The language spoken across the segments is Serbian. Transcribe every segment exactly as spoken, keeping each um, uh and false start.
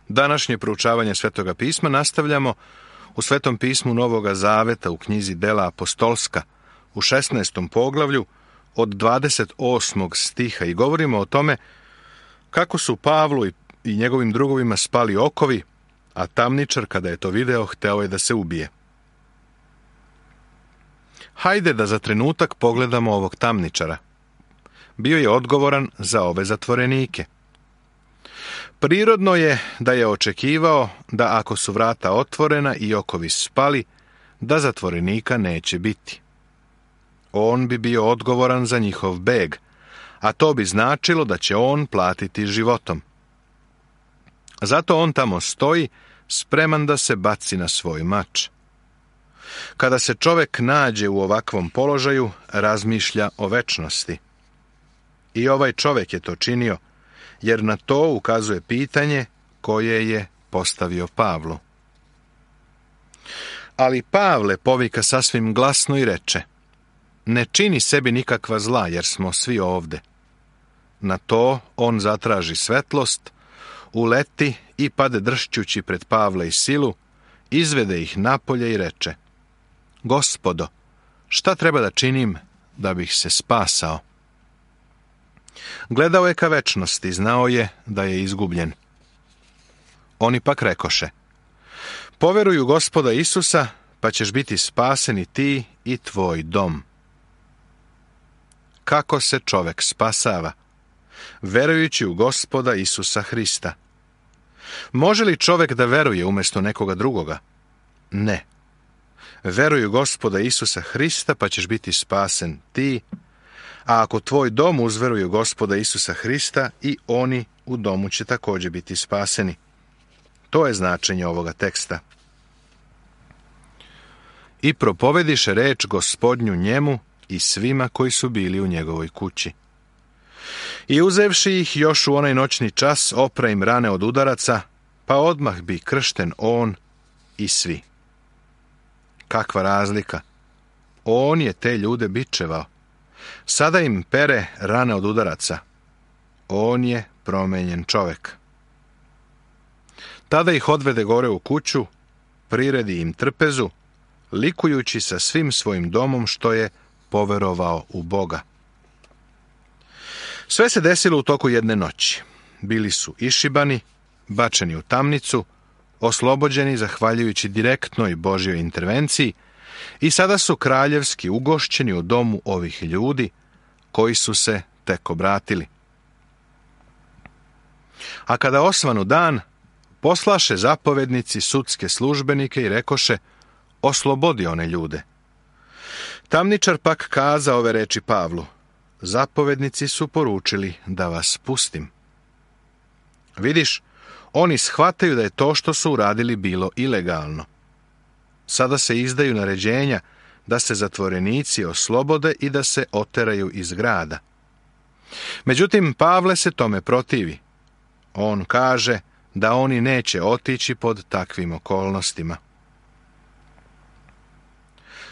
Današnje proučavanje Svetoga pisma nastavljamo u Svetom pismu Novoga Zaveta u knjizi Dela apostolska u šesnaestom poglavlju od dvadeset osmog stiha i govorimo o tome kako su Pavlu i njegovim drugovima spali okovi, a tamničar, kada je to video, hteo je da se ubije. Hajde da za trenutak pogledamo ovog tamničara. Bio je odgovoran za ove zatvorenike. Prirodno je da je očekivao da ako su vrata otvorena i okovi spali, da zatvorenika neće biti. On bi bio odgovoran za njihov beg, a to bi značilo da će on platiti životom. Zato on tamo stoji, spreman da se baci na svoj mač. Kada se čovjek nađe u ovakvom položaju, razmišlja o večnosti. I ovaj čovjek je to činio, jer na to ukazuje pitanje koje je postavio Pavlu. Ali Pavle povika sasvim glasno i reče: ne čini sebi nikakva zla, jer smo svi ovde. Na to on zatraži svetlost, uleti i pade dršćući pred Pavla i Silu, izvede ih napolje i reče: Gospodo, šta treba da činim da bih se spasao? Gledao je ka večnosti, znao je da je izgubljen. Oni pak rekoše: poveruj u Gospoda Isusa, pa ćeš biti spasen i ti i tvoj dom. Kako se čovjek spasava? Verujući u Gospoda Isusa Hrista. Može li čovjek da veruje umjesto nekoga drugoga? Ne. Veruj u Gospoda Isusa Hrista, pa ćeš biti spasen ti, a ako tvoj dom uzveruje u Gospoda Isusa Hrista, i oni u domu će također biti spaseni. To je značenje ovoga teksta. I propovediše reč Gospodnju njemu i svima koji su bili u njegovoj kući. I uzevši ih još u onaj noćni čas, opra im rane od udaraca, pa odmah bi kršten on i svi. Kakva razlika! On je te ljude bičevao. Sada im pere rane od udaraca. On je promenjen čovjek. Tada ih odvede gore u kuću, priredi im trpezu, likujući sa svim svojim domom što je poverovao u Boga. Sve se desilo u toku jedne noći. Bili su išibani, bačeni u tamnicu, oslobođeni zahvaljujući direktnoj Božjoj intervenciji, i sada su kraljevski ugošćeni u domu ovih ljudi koji su se tek obratili. A kada osvanu dan, poslaše zapovednici sudske službenike i rekoše: oslobodi one ljude. Tamničar pak kaza ove reči Pavlu: zapovednici su poručili da vas pustim. Vidiš, oni shvataju da je to što su uradili bilo ilegalno. Sada se izdaju naređenja da se zatvorenici oslobode i da se oteraju iz grada. Međutim, Pavle se tome protivi. On kaže da oni neće otići pod takvim okolnostima.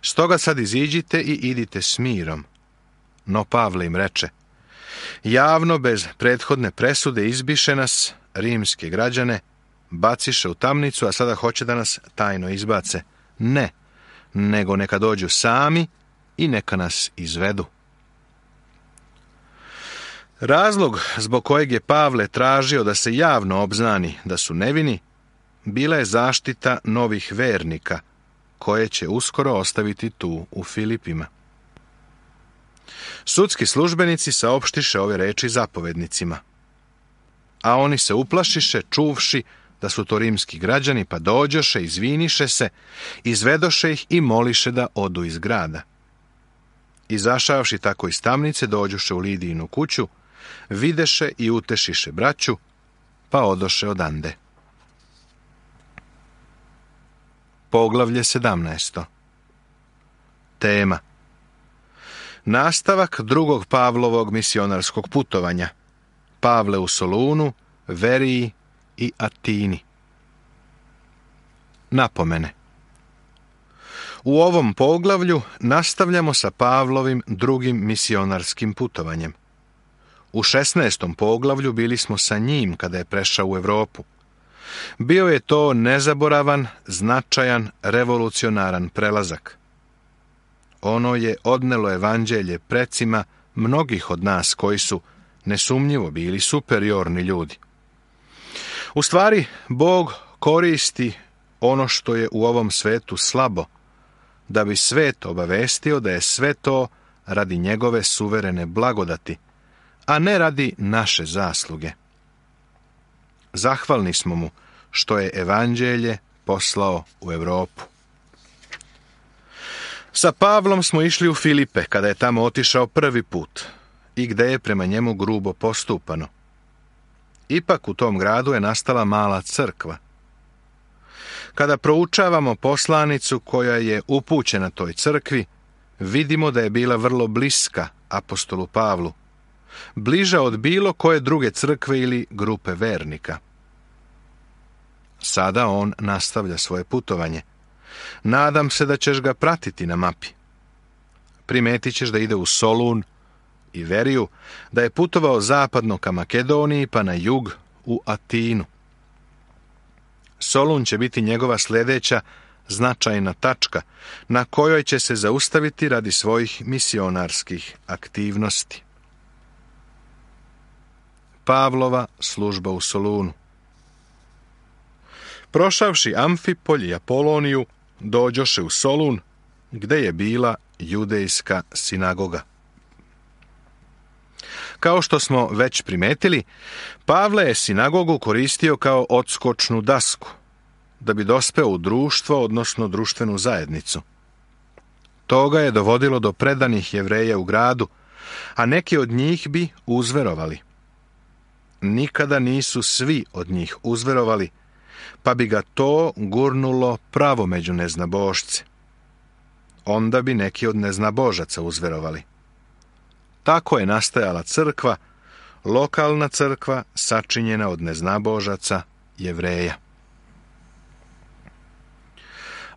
Stoga sad iziđite i idite s mirom. No Pavle im reče: javno, bez prethodne presude, izbiše nas, rimske građane, baciše u tamnicu, a sada hoće da nas tajno izbace. Ne, nego neka dođu sami i neka nas izvedu. Razlog zbog kojeg je Pavle tražio da se javno obznani da su nevini, bila je zaštita novih vernika, koje će uskoro ostaviti tu u Filipima. Sudski službenici saopštiše ove reči zapovednicima, a oni se uplašiše, čuvši da su to rimski građani, pa dođoše, izviniše se, izvedoše ih i moliše da odu iz grada. Izašavši tako iz tamnice, dođoše u Lidijinu kuću, videše i utešiše braću, pa odoše odande. Poglavlje sedamnaesto. Tema: nastavak drugog Pavlovog misionarskog putovanja. Pavle u Solunu, Veriji i Atini. Napomene. U ovom poglavlju nastavljamo sa Pavlovim drugim misionarskim putovanjem. U šesnaestom poglavlju bili smo sa njim kada je prešao u Evropu. Bio je to nezaboravan, značajan, revolucionaran prelazak. Ono je odnelo evanđelje precima mnogih od nas koji su nesumnjivo bili superiorni ljudi. U stvari, Bog koristi ono što je u ovom svetu slabo, da bi svet obavestio da je sve to radi njegove suverene blagodati, a ne radi naše zasluge. Zahvalni smo mu što je evanđelje poslao u Europu. Sa Pavlom smo išli u Filipe, kada je tamo otišao prvi put i gde je prema njemu grubo postupano. Ipak u tom gradu je nastala mala crkva. Kada proučavamo poslanicu koja je upućena toj crkvi, vidimo da je bila vrlo bliska apostolu Pavlu, bliža od bilo koje druge crkve ili grupe vernika. Sada on nastavlja svoje putovanje. Nadam se da ćeš ga pratiti na mapi. Primetit ćeš da ide u Solun i Veriju, da je putovao zapadno ka Makedoniji pa na jug u Atinu. Solun će biti njegova sljedeća značajna tačka na kojoj će se zaustaviti radi svojih misionarskih aktivnosti. Pavlova služba u Solunu. Prošavši Amfipolj i Apoloniju, dođoše u Solun, gde je bila judejska sinagoga. Kao što smo već primetili, Pavle je sinagogu koristio kao odskočnu dasku, da bi dospeo u društvo, odnosno društvenu zajednicu. To ga je dovodilo do predanih Jevreja u gradu, a neki od njih bi uzverovali. Nikada nisu svi od njih uzverovali, pa bi ga to gurnulo pravo među neznabošce. Onda bi neki od neznabožaca uzverovali. Tako je nastajala crkva, lokalna crkva sačinjena od neznabožaca Jevreja.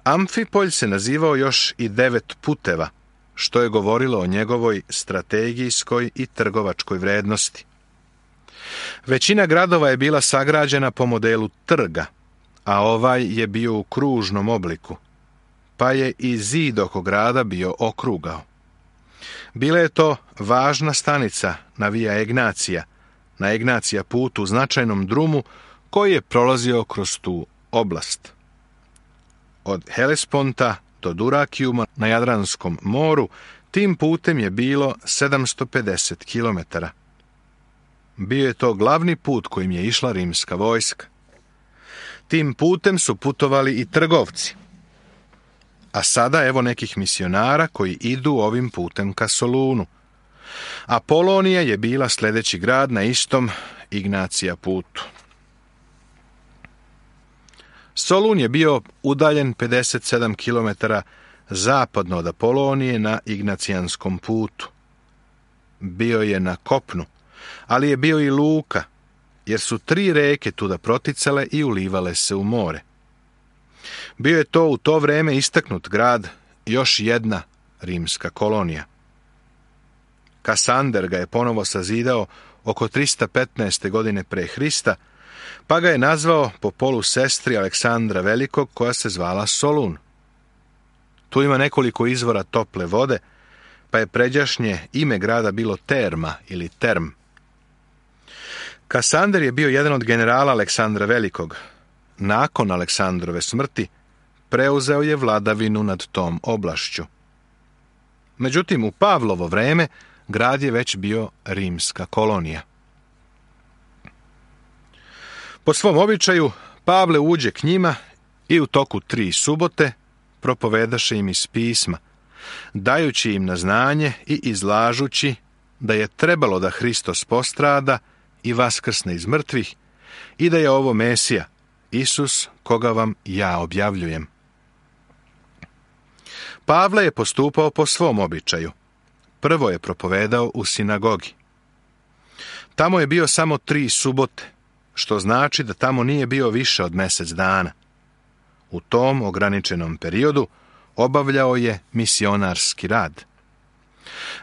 Amfipolj se nazivao još i devet puteva, što je govorilo o njegovoj strategijskoj i trgovačkoj vrednosti. Većina gradova je bila sagrađena po modelu trga, a ovaj je bio u kružnom obliku, pa je i zid oko grada bio okrugao. Bila je to važna stanica na Via Egnacija, na Egnacija putu u značajnom drumu koji je prolazio kroz tu oblast. Od Helesponta do Durakijuma na Jadranskom moru tim putem je bilo sedamsto pedeset kilometara. Bio je to glavni put kojim je išla rimska vojska. Tim putem su putovali i trgovci. A sada evo nekih misionara koji idu ovim putem ka Solunu. Apolonija je bila sljedeći grad na istom Ignacija putu. Solun je bio udaljen pedeset sedam kilometara zapadno od Apolonije na Ignacijanskom putu. Bio je na kopnu, ali je bio i luka, jer su tri reke tuda proticale i ulivale se u more. Bio je to u to vrijeme istaknut grad, još jedna rimska kolonija. Kasander ga je ponovo sazidao oko tristo petnaeste. godine pre Hrista, pa ga je nazvao po polu sestri Aleksandra Velikog, koja se zvala Solun. Tu ima nekoliko izvora tople vode, pa je pređašnje ime grada bilo Terma ili Term. Kasander je bio jedan od generala Aleksandra Velikog. Nakon Aleksandrove smrti preuzeo je vladavinu nad tom oblašću. Međutim, u Pavlovo vreme grad je već bio rimska kolonija. Po svom običaju, Pavle uđe k njima i u toku tri subote propovedaše im iz pisma, dajući im na znanje i izlažući da je trebalo da Hristos postrada i vaskrsne iz mrtvih i da je ovo Mesija, Isus, koga vam ja objavljujem. Pavle je postupao po svom običaju. Prvo je propovedao u sinagogi. Tamo je bio samo tri subote, što znači da tamo nije bio više od mjesec dana. U tom ograničenom periodu obavljao je misionarski rad.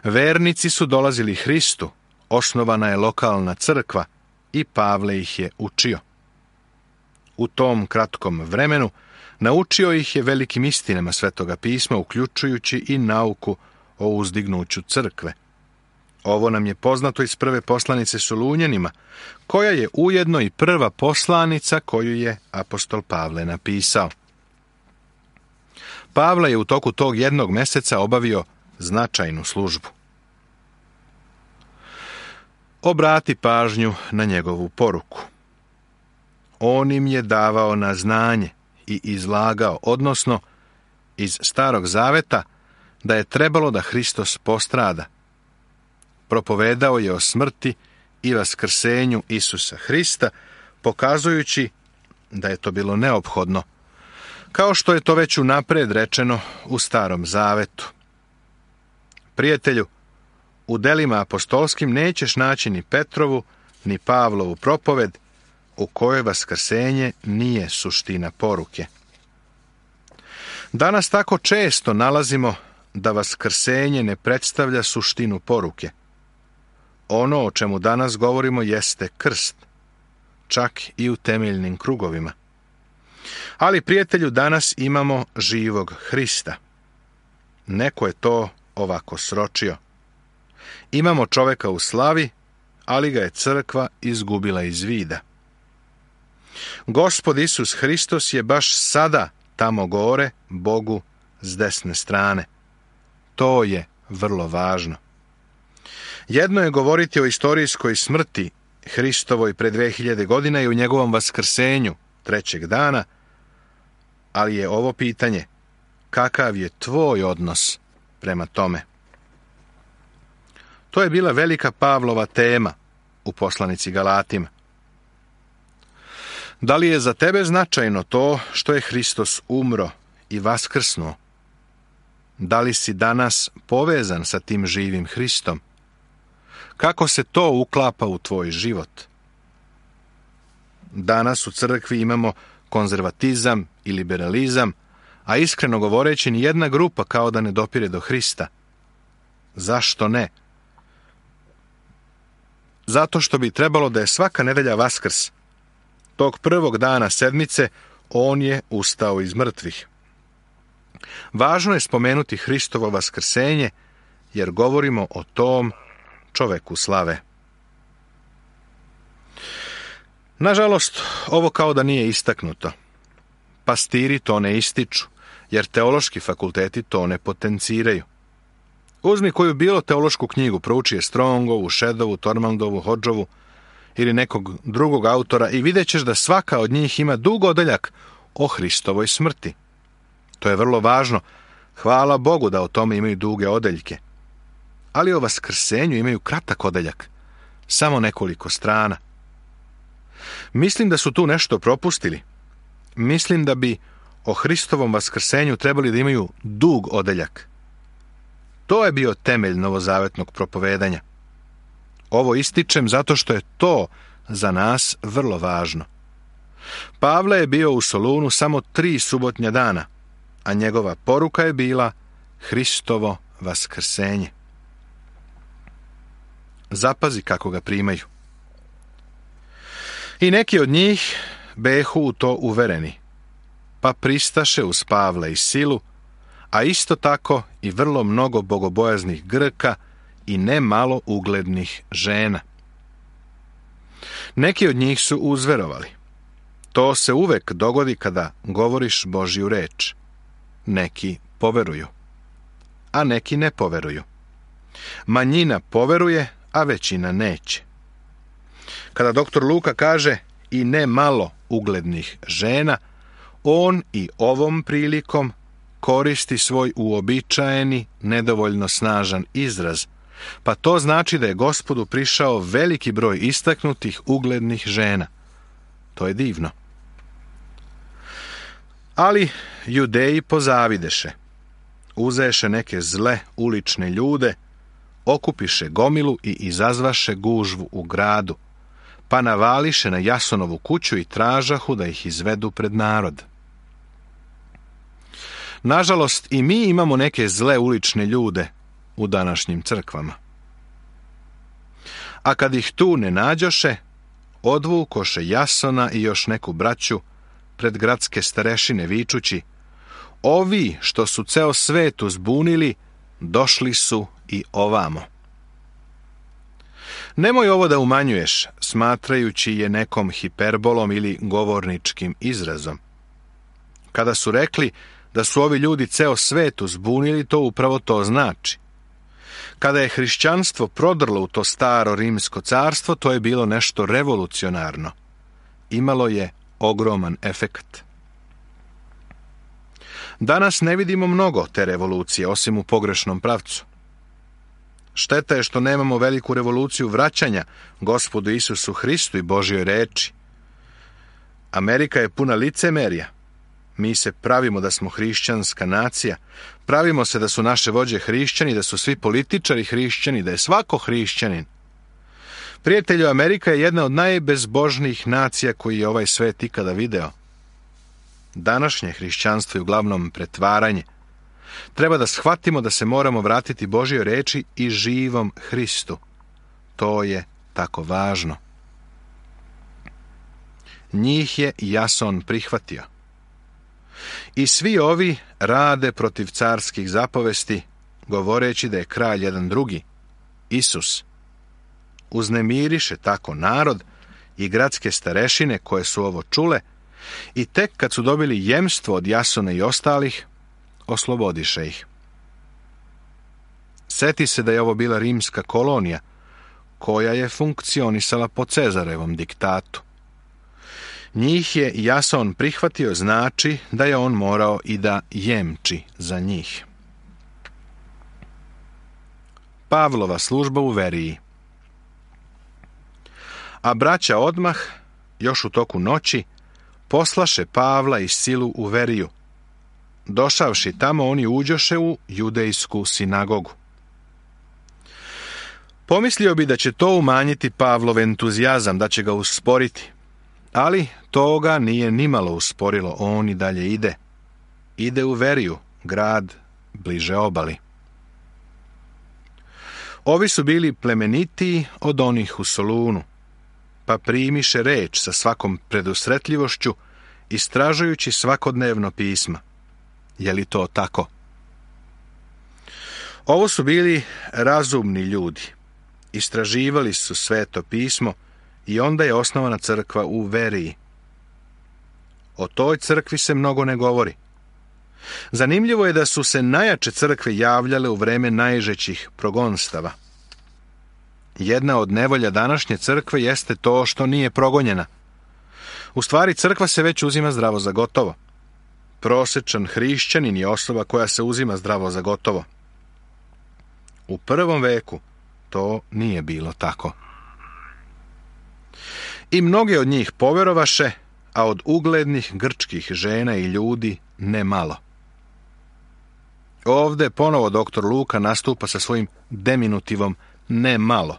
Vernici su dolazili Hristu, osnovana je lokalna crkva i Pavle ih je učio. U tom kratkom vremenu naučio ih je velikim istinama Svetoga pisma, uključujući i nauku o uzdignuću crkve. Ovo nam je poznato iz prve poslanice Solunjanima, koja je ujedno i prva poslanica koju je apostol Pavle napisao. Pavle je u toku tog jednog meseca obavio značajnu službu. Obrati pažnju na njegovu poruku. On im je davao na znanje i izlagao, odnosno iz Starog zaveta, da je trebalo da Hristos postrada. Propovedao je o smrti i vaskrsenju Isusa Hrista, pokazujući da je to bilo neophodno, kao što je to već unapred rečeno u Starom zavetu. Prijatelju, u delima apostolskim nećeš naći ni Petrovu, ni Pavlovu propoved, u kojoj vaskrsenje nije suština poruke. Danas tako često nalazimo da vaskrsenje ne predstavlja suštinu poruke. Ono o čemu danas govorimo jeste krst, čak i u temeljnim krugovima. Ali, prijatelju, danas imamo živog Hrista. Neko je to ovako sročio. Imamo čoveka u slavi, ali ga je crkva izgubila iz vida. Gospod Isus Hristos je baš sada tamo gore, Bogu s desne strane. To je vrlo važno. Jedno je govoriti o istorijskoj smrti Hristovoj pre dve hiljade godina i u njegovom vaskrsenju trećeg dana, ali je ovo pitanje: kakav je tvoj odnos prema tome? To je bila velika Pavlova tema u poslanici Galatima. Da li je za tebe značajno to što je Hristos umro i vaskrsnuo? Da li si danas povezan sa tim živim Hristom? Kako se to uklapa u tvoj život? Danas u crkvi imamo konzervatizam i liberalizam, a iskreno govoreći ni jedna grupa kao da ne dopire do Hrista. Zašto ne? Zato što bi trebalo da je svaka nedelja Vaskrs. Tog prvog dana sedmice on je ustao iz mrtvih. Važno je spomenuti Hristovo vaskrsenje, jer govorimo o tom čoveku slave. Nažalost, ovo kao da nije istaknuto. Pastiri to ne ističu, jer teološki fakulteti to ne potenciraju. Uzmi koju bilo teološku knjigu, prouči je Strongovu, Šedovu, Tormandovu, Hodžovu ili nekog drugog autora i vidjet ćeš da svaka od njih ima dug odeljak o Hristovoj smrti. To je vrlo važno. Hvala Bogu da o tome imaju duge odeljke. Ali o vaskrsenju imaju kratak odeljak, samo nekoliko strana. Mislim da su tu nešto propustili. Mislim da bi o Hristovom vaskrsenju trebali da imaju dug odeljak. To je bio temelj novozavetnog propovedanja. Ovo ističem zato što je to za nas vrlo važno. Pavle je bio u Solunu samo tri subotnja dana, a njegova poruka je bila Hristovo vaskrsenje. Zapazi kako ga primaju. I neki od njih behu u to uvereni, pa pristaše uz Pavla i Silu, a isto tako i vrlo mnogo bogobojaznih Grka i ne malo uglednih žena. Neki od njih su uzverovali. To se uvek dogodi kada govoriš Božju reč. Neki poveruju, a neki ne poveruju. Manjina poveruje, a većina neće. Kada doktor Luka kaže i ne malo uglednih žena, on i ovom prilikom koristi svoj uobičajeni, nedovoljno snažan izraz, pa to znači da je Gospodu prišao veliki broj istaknutih uglednih žena. To je divno. Ali Judeji pozavideše. Uzeše neke zle ulične ljude, okupiše gomilu i izazvaše gužvu u gradu, pa navališe na Jasonovu kuću i tražahu da ih izvedu pred narod. Nažalost, i mi imamo neke zle ulične ljude u današnjim crkvama. A kad ih tu ne nađoše, odvukoše Jasona i još neku braću pred gradske starešine vičući: ovi što su ceo svet uzbunili, došli su i ovamo. Nemoj ovo da umanjuješ, smatrajući je nekom hiperbolom ili govorničkim izrazom. Kada su rekli da su ovi ljudi ceo svet uzbunili, to upravo to znači. Kada je hrišćanstvo prodrlo u to staro rimsko carstvo, to je bilo nešto revolucionarno. Imalo je ogroman efekat. Danas ne vidimo mnogo te revolucije, osim u pogrešnom pravcu. Šteta je što nemamo veliku revoluciju vraćanja Gospodu Isusu Hristu i Božjoj reči. Amerika je puna licemerja. Mi se pravimo da smo hrišćanska nacija, pravimo se da su naše vođe hrišćani, da su svi političari hrišćani, da je svako hrišćanin. Prijatelju, Amerika je jedna od najbezbožnijih nacija koji je ovaj svet ikada video. Današnje hrišćanstvo je uglavnom pretvaranje. Treba da shvatimo da se moramo vratiti Božjoj reči i živom Hristu. To je tako važno. Njih je Jason prihvatio. I svi ovi rade protiv carskih zapovesti, govoreći da je kralj jedan drugi, Isus. Uznemiriše tako narod i gradske starešine koje su ovo čule, i tek kad su dobili jemstvo od Jasona i ostalih, oslobodiše ih. Seti se da je ovo bila rimska kolonija, koja je funkcionisala po Cezarevom diktatu. Njih je Jason prihvatio, znači da je on morao i da jemči za njih. Pavlova služba u Veriji. A braća odmah, još u toku noći, poslaše Pavla i Silu u Veriju. Došavši tamo, oni uđoše u judejsku sinagogu. Pomislio bi da će to umanjiti Pavlov entuzijazam, da će ga usporiti. Ali to ga nije nimalo usporilo, on i dalje ide. Ide u Veriju, grad bliže obali. Ovi su bili plemenitiji od onih u Solunu, pa primiše reč sa svakom predusretljivošću, istražujući svakodnevno pisma. Je li to tako? Ovo su bili razumni ljudi. Istraživali su sveto pismo i onda je osnovana crkva u Veriji. O toj crkvi se mnogo ne govori. Zanimljivo je da su se najjače crkve javljale u vreme najžećih progonstava. Jedna od nevolja današnje crkve jeste to što nije progonjena. U stvari, crkva se već uzima zdravo za gotovo. Prosečan hrišćanin je osoba koja se uzima zdravo za gotovo. U prvom veku to nije bilo tako. I mnoge od njih poverovaše, a od uglednih grčkih žena i ljudi ne malo. Ovde ponovo doktor Luka nastupa sa svojim deminutivom ne malo.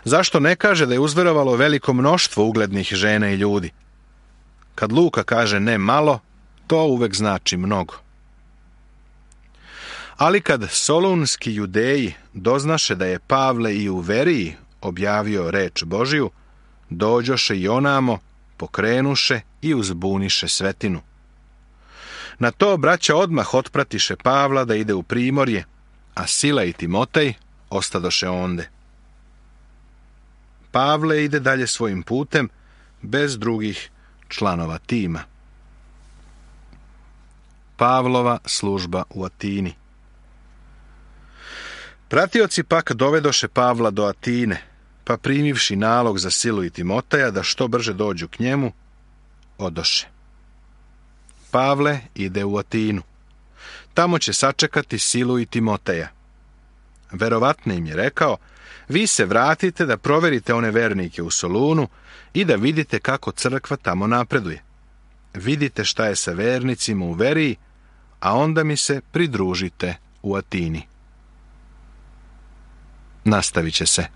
Zašto ne kaže da je uzverovalo veliko mnoštvo uglednih žena i ljudi? Kad Luka kaže ne malo, to uvek znači mnogo. Ali kad solunski judeji doznaše da je Pavle i u Veriji objavio reč Božiju, dođoše i onamo, pokrenuše i uzbuniše svetinu. Na to braća odmah otpratiše Pavla da ide u primorje, a Sila i Timotej ostadoše onde. Pavle ide dalje svojim putem, bez drugih članova tima. Pavlova služba u Atini. Pratioci pak dovedoše Pavla do Atine, pa primivši nalog za Silu i Timoteja da što brže dođu k njemu, odoše. Pavle ide u Atinu. Tamo će sačekati Silu i Timoteja. Verovatno im je rekao: vi se vratite da proverite one vernike u Solunu i da vidite kako crkva tamo napreduje. Vidite šta je sa vernicima u Veriji, a onda mi se pridružite u Atini. Nastavit će se.